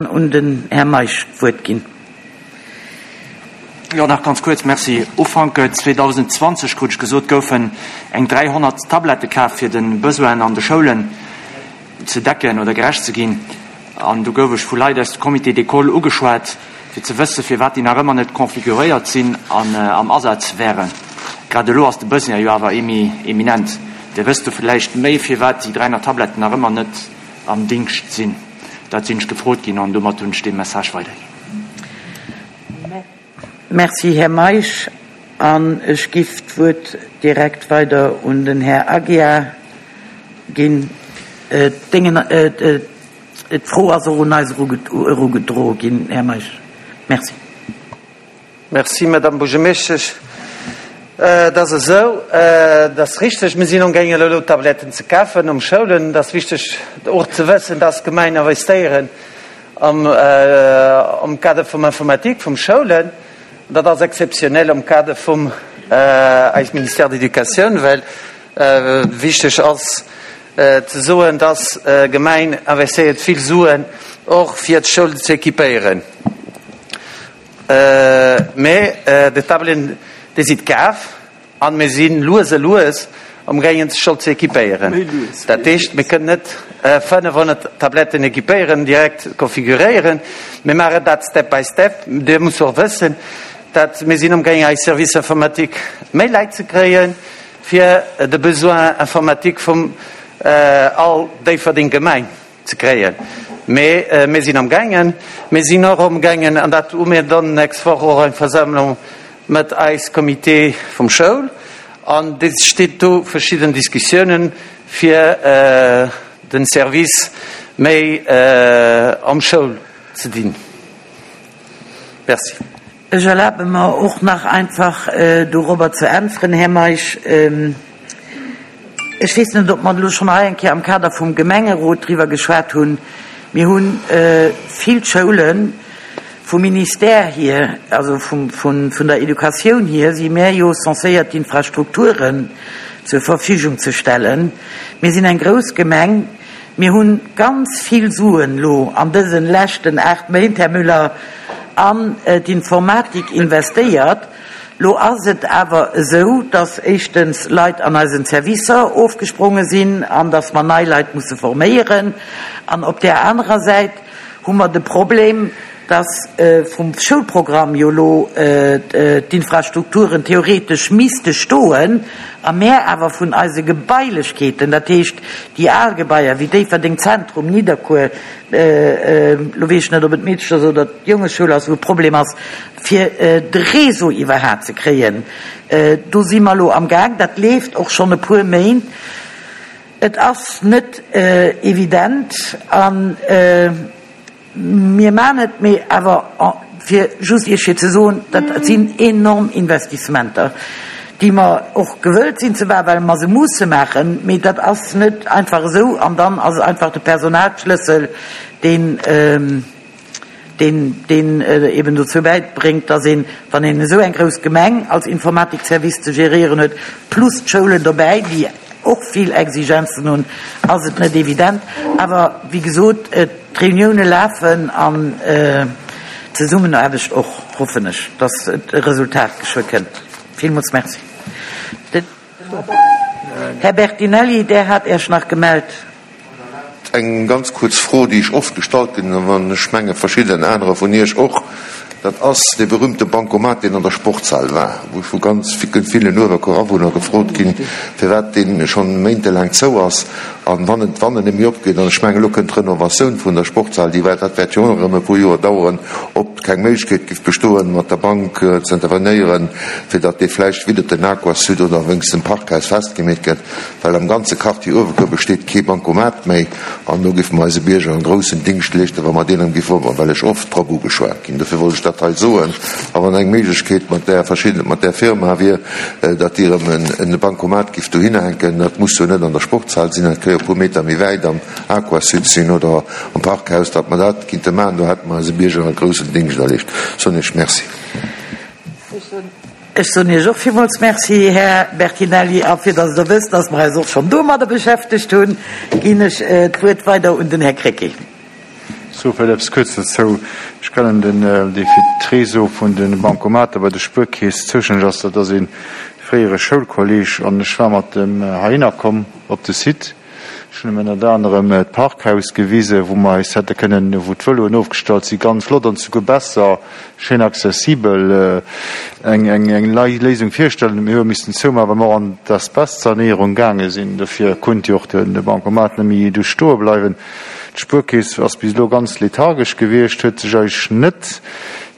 Un den Här Meisch d'Wuert ginn. Jo, nach ganz kuerz, Merci. Ufank 2020, krut ech gesot, goufen eng 300 Tablette kaf, fir de Besoinen an de Schoulen ze decken oder gerecht ze ginn. An du gouf ech vu Leit aus de Comités d'école ugeschwat, fir ze wëssen, firwat déi nach ëmmer net configuréiert sinn an am Asaz wären. Grad elo ass de Besoin jo awer eminent. Dir wësst do vläicht méi, firwat déi 300 Tabletten nach ëmmer net am Dingscht sinn. Dat sinn ech gefrot ginn an domat hunn ech dee Message weiderginn. Merci, Här Meisch. An ech giff d'Wuert direkt weider un den Här Aguiar ginn. D'Fro ass och un eis erugedroe ginn, Här Meisch. Merci. Merci, Madame Buergermeeschtesch. Et ass esou, et ass richteg, mir sinn amgaangen elo Tabletten ze kafen um Schoulen. Et ass wichteg och ze wëssen, dass d'Gemein investéieren am Kader vum Informatique vum Schoulen. Dat ass exzeptionell am Kader vum eis Ministère d'Éducatioun, well wichteg ass ze soen, dass d'Gemein investéiert vill Suen och fir d'Schoul ze équipéieren. Mee déi Tabletten, déi si kaf an mir si lues a lues amgaangen d'Schoul ze équipéieren. Dat heescht, mir kënnen net 500 Tabletten équipéieren, direkt konfiguréieren. Mir maachen dat step by step. Dir musst och wëssen, dat mir sinn amgaangen eis Service informatique méi Leit ze kréien, fir de Besoin informatique vum all Déifferdeng Gemeng. Ze kréien. Mee mir sinn amgaangen. Mir sinn och amgaangen, an dat hu mir dann nächst Woch och eng Versammlung mat eis Comité vum Schoul, an et steet do verschidden Diskussiounen, fir den Service méi am Schoul ze dinn. Merci. Ech erlabe mer och nach einfach dorobber ze äntweren, Här Meisch. Ech weess net, ob mer elo schonn hei eng Kéier am Kader vum Gemengerot driwwer geschwat hunn. Mir hu vill Schoulen, vum Ministère hier, also vun der Educatioun hier, si mär jo censéiert d'Infrastrukturen zur Verfügung ze stellen. Mir sinn eng grouss Gemeng. Mir hunn ganz vill Suen elo an dësen leschten 8 Méint, Här Müller, an d'Informatik investéiert. Lo ass et awer esou, dass éischtens Leit an eisen Servicer ofgespronge sinn an dass mer nei Leit musse forméieren. An op där anerer Säit hu mer de Problem, dass vum Schoulprogramm jo elo d'Infrastrukturen theoretesch misste stoen a mär awer vun eise Gebailechkeeten, dat heescht déi al Gebaier wéi Déifferdeng Zentrum, Nidderkuer, elo weess ech net, ob et d'Meedchers oder d'Jongeschoul ass, wou e Problem ass, fir de Réseau iwwerhat ze kréien, do si mer elo amgaang, dat leeft och schonn e puer Méint. Et ass net evident a mir maachen et, mee awer fir just Iech fir ze soen, dat sinn enorm Investissementer, déi mer och gewëllt sinn ze maachen, well mer se musse maachen, mee dat ass net einfach esou an dann ass et einfach de Personalschlëssel, deen, deen deen eben dozou bäibréngt, dass een, wann een esou eng grouss Gemeng als Informatikservice ze geréieren huet, plus d'Schoulen dobäi, déi och vill Exigenzen hunn, ass et net evident. Awer wéi gesot, d'Reunioune lafen an d'Zesummenaarbecht och, hoffen ech, dass et e Resultat geschwë kënnt. Villmools Merci. Den Här Bertinelli, Der hat Iech nach gemellt. Eng ganz kuerz Fro, déi ech oft gestallt ginn, an ech menge verschidden anerer vun Iech och, dat ass dee berühmte Bancomat, deen an der Sportshal war, wou ech vu ganz villen Uewerkuer Awunner gefrot ginn, firwat dee schonn méintelaang zou ass an wann et, wann en némme opgeet, an ech mengen, elo kënnt d'Renovatioun vun der Sportshal, déi dat wäert jo och nach erëm e puer Joer daueren, ob keng Méiglechkeet géif bestoen, mat der Bank ze intervenéieren, fir datt dee vläicht widder den Aquasud oder wéinst dem Parkhaus festgemeet gëtt. Well am ganze Quartier Uewerkuer besteet kee Bancomat méi an do géife mer eise Bierger en groussen Dingscht leeschten, wa mer deen erëm géife opmachen, well ech oft drop ugeschwat ginn. Dofir wollt ech dat hei soen. A wann eng Méiglechkeet mat där verschidden, mat där Firma wier, datt déi erëm en Bancomat géif dohinner hänken, dat muss jo net an der Sportshal sinn, dat ka jo e puer Meter méi wäit am Aquasud sinn oder am Parkhaus, datt mer dat kinnte maachen, do hätte mer eise Bierger e groussen Dingscht erleescht. Soen Iech Merci. Ech soen Iech och villmools Merci, Här Bertinelli. A fir datt Der wësst, datt mer eis och schonn domadder beschäftegt hunn, ginn ech d'Wuert weider un den Här Krecké. Ech soe vläicht eppes kuerz dozou. Ech kennen den, dee fir d'Réseau vun de Bancomater bei der Spuerkeess zoustänneg ass. Dat ass ee fréiere Schoulkolleg an ech war mat em heihinner komm op de Site. Ech hunn em ënnert anerem d'Parkhaus gewisen, wou mer eis hätte kënnen, wou d'Vëloen ofgestallt sinn, ganz flott an souguer besser, schéin accessibel, eng eng Léisung virstellen. Mir hu missten zoumaachen, well mer och an d'Asbestsanéierung gaange sinn. Dofir konnt jo och de Bancomat net méi do stoe bleiwen. D'Spuerkeess ass bis elo ganz lethargesch gewiescht, huet sech eigentlech net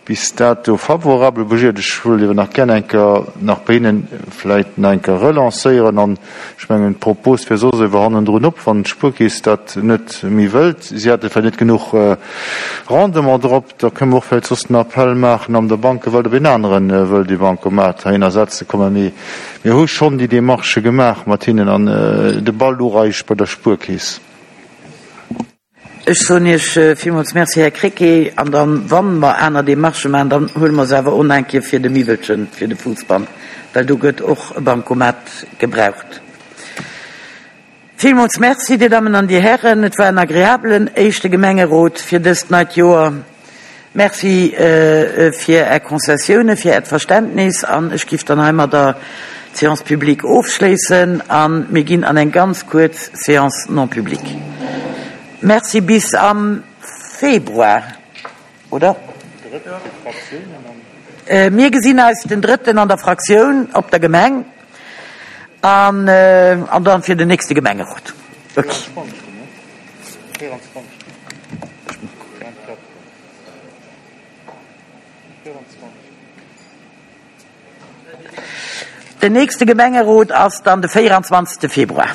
bis dato favorabel bougiert. Ech wëllt iewer nach gär eng Kéier nach bei hinnen vläicht nach eng Kéier relancéieren an ech mengen d'Propos wär soss ewer hannendrun op, wann d'Spuerkeess dat net méi wëllt, si hätte vläicht net genuch Rendement drop, da kënne mer och vläicht soss den Appell maachen an der Bankewelt, ob een anere wëllt ee Bancomat heihinner setze kommen. Mee mir hu schonn déi Démarchë gemaach mat hinnen an de Ball louch eigentlech bei der Spuerkeess. Ech soen Iech villmools Merci, Här Krecké. An dann, wa mer aner Démarchë maachen, dann huele mer se awer och nach eng Kéier fir de Miwwelchen, fir de Fuussband, well do gëtt och e Bancomat gebraucht. Villmools Merci, Dir Dammen an Dir Hären. Et war en agreabelen éischte Gemengerot fir dëst neit Joer. Merci fir Är Concessiounen, fir Äert Verständnis an ech giff dann heimadder d'Séance publique ofschléissen a mir ginn an eng ganz kuerz Séance non publique. Merci, bis am Februar, oder? Mir gesinn eis den drëtten an der Fraktioun op der Gemeng an dann fir den nächste Gemengerot. Okay. Den nächste Gemengerot ass dann de 24. Februar.